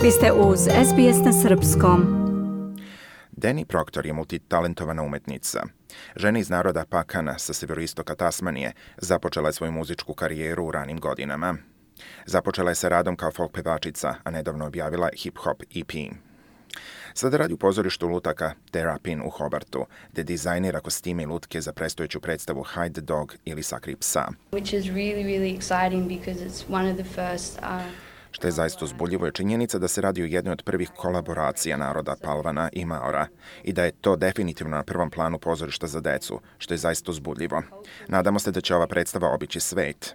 Vi ste uz SBS na srpskom. Dani Proctor je multitalentovana umetnica. Žena iz naroda Pakana sa severoistoka Tasmanije započela je svoju muzičku karijeru u ranim godinama. Započela je sa radom kao folk pevačica, a nedavno objavila hip-hop EP. Sada radi u pozorištu lutaka Terrapin u Hobartu, gde dizajnira kostime i lutke za predstojeću predstavu Hide the Dog ili Sakri psa. Which is really exciting because it's one of the first Što je zaista uzbudljivo je činjenica da se radi o jednoj od prvih kolaboracija naroda Palvana i Maora i da je to definitivno na prvom planu pozorišta za decu, što je zaista uzbudljivo. Nadamo se da će ova predstava obići svet.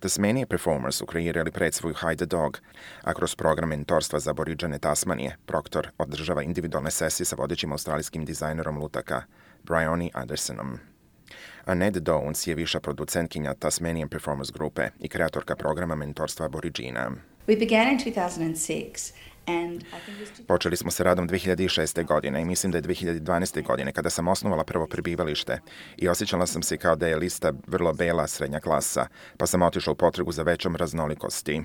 Tasmania Performers su kreirali predstavu Hide the Dog, a kroz program mentorstva za aboriđane Tasmanije, Proctor održava individualne sesije sa vodećim australijskim dizajnerom lutaka, Bryony Andersonom. Annette Downs je viša producentkinja Tasmanian Performers grupe i kreatorka programa mentorstva aboriđina. We began in 2006 and I think Počeli smo sa radom 2006. godine i mislim da je 2012. godine kada sam osnovala prvo prebivalište i osjećala sam se kao da je lista vrlo bela srednja klasa, pa sam otišla u potragu za većom raznolikosti.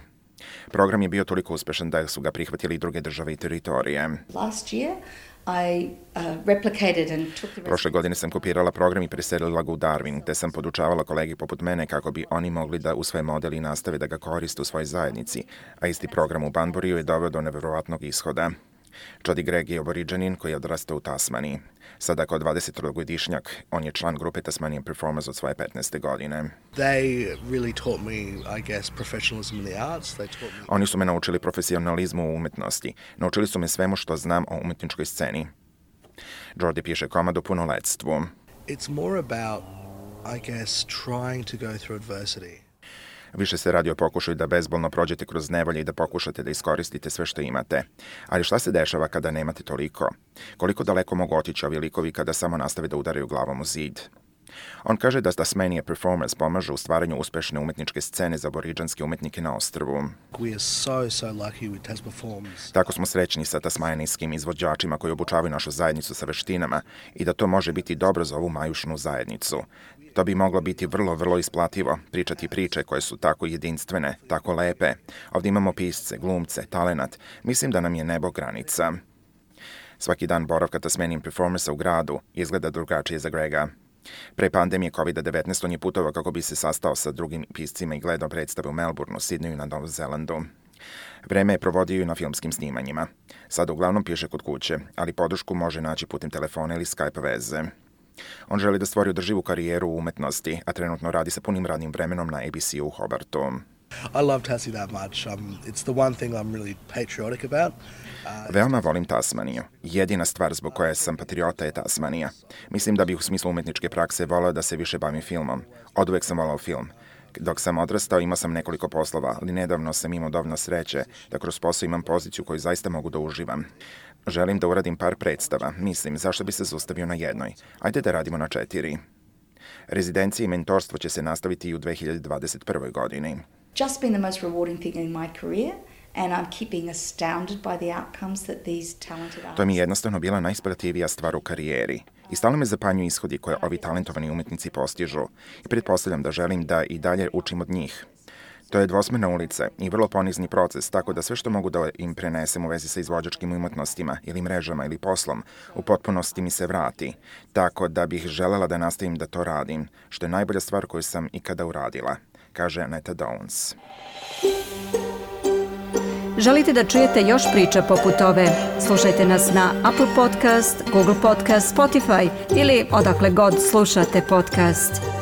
Program je bio toliko uspešan da su ga prihvatili i druge države i teritorije. last year I replicated and took the Prošle godine sam kopirala program i preselila ga u Darwin, te sam podučavala kolegi poput mene kako bi oni mogli da usvoje model i nastave da ga koriste u svojoj zajednici, a isti program u Banburiju je doveo do neverovatnog ishoda. Jody Gregg je aboriđanin koji je odrastao u Tasmaniji. Sada kao 22-godišnjak, on je član grupe Tasmanian Performers od svoje 15. godine. They really taught me, I guess, professionalism in the arts. They taught me... Oni su me naučili profesionalizmu u umetnosti. Naučili su me svemu što znam o umetničkoj sceni. Jordi piše komad o punoletstvu. It's more about, I guess, trying to go through adversity. Više se radi o pokušaju da bezbolno prođete kroz nevolje i da pokušate da iskoristite sve što imate. Ali šta se dešava kada nemate toliko? Koliko daleko mogu otići ovi likovi kada samo nastave da udaraju glavom u zid? On kaže da Tasmania Performers pomažu u stvaranju uspešne umetničke scene za aboriđanske umetnike na ostrvu. We are so lucky with Tas Performs. Tako smo srećni sa tasmanijskim izvođačima koji obučavaju našu zajednicu sa veštinama i da to može biti dobro za ovu majušnu zajednicu. To bi moglo biti vrlo isplativo, pričati priče koje su tako jedinstvene, tako lepe. Ovdje imamo pisce, glumce, talenat. Mislim da nam je nebo granica. Svaki dan boravka Tasmanian Performersa u gradu izgleda drugačije za Grega. Pre pandemije COVID-19 on je putovao kako bi se sastao sa drugim piscima i gledao predstave u Melbourneu, Sidneyu i na Novom Zelandu. Vreme je provodio i na filmskim snimanjima. Sada uglavnom piše kod kuće, ali podršku može naći putem telefona ili Skype veze. On želi da stvori održivu karijeru u umetnosti, a trenutno radi sa punim radnim vremenom na ABC-u u Hobartu. I love Tassie that much. It's the one thing I'm really patriotic about. Veoma volim Tasmaniju. Jedina stvar zbog koje sam patriota je Tasmanija. Mislim da bih u smislu umetničke prakse voleo da se više bavim filmom. Oduvek sam volao film. Dok sam odrastao imao sam nekoliko poslova, ali nedavno sam imao dovoljno sreće da kroz posao imam poziciju koju zaista mogu da uživam. Želim da uradim par predstava. Mislim, zašto bi se zaustavio na jednoj? Ajde da radimo na 4. Rezidencije i mentorstvo će se nastaviti i u 2021. godini. just been the most rewarding thing in my career and I'm keeping astounded by the outcomes that these talented artists. To mi je jednostavno bila najisplativija stvar u karijeri. I stalno me zapanjuju ishodi koje ovi talentovani umetnici postižu i pretpostavljam da želim da i dalje učim od njih. To je dvosmerna ulica i vrlo ponizni proces, tako da sve što mogu da im prenesem u vezi sa izvođačkim umetnostima ili mrežama ili poslom, u potpunosti mi se vrati. Tako da bih želela da nastavim da to radim, što je najbolja stvar koju sam ikada uradila, kaže Annette Downs. Želite da čujete još priča poput ove? Slušajte nas na Apple Podcast, Google Podcast, Spotify ili odakle god slušate podcast.